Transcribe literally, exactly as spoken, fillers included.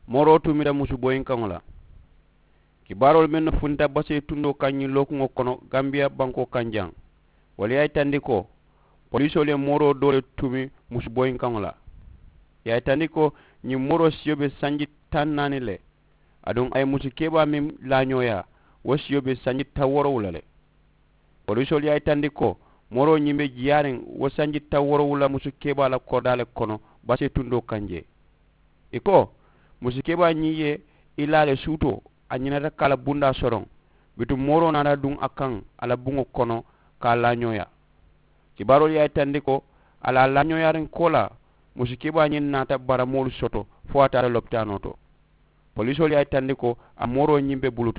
Mooroo tuumita musu boyinkaŋo la. Kibaaroolu mennu funta basee tundoo kaŋ ñiŋ lookuŋo kono, gambiya bankoo kaŋ jaŋ, wolu ye a yitandi ko poliisoolu ye mooroo doo le tuumi musu boyinkaŋo la. Ye a yitandi ko ñiŋ mooroo siyo be sanji taŋ naani le. Aduŋ a ye musu kebaa meŋ laañooyaa, wo siyo be sanji taŋ woorowula le. Poliisoolu ye a yitandi ko mooroo ñiŋ be jiyaariŋ wo sanji taŋ woorowula musu kebaa la koridaa le kono, basee tundoo kaŋ jee. Ì ko musu kebaa ñiŋ ye i laa le suutoo, a ñinata ka a la bundaa soroŋ. Bituŋ mooroo naata duŋ a kaŋ a la buŋo kono, ka a laañooyaa. Kibaaroolu ye a yitandi ko a la a laañooyaariŋ koolaa, musu kebaa ñiŋ naata baramoolu soto fo a taata lopitaanoo to. Poliisoolu ye a yitandi ko a mooroo ñiŋ be bulu.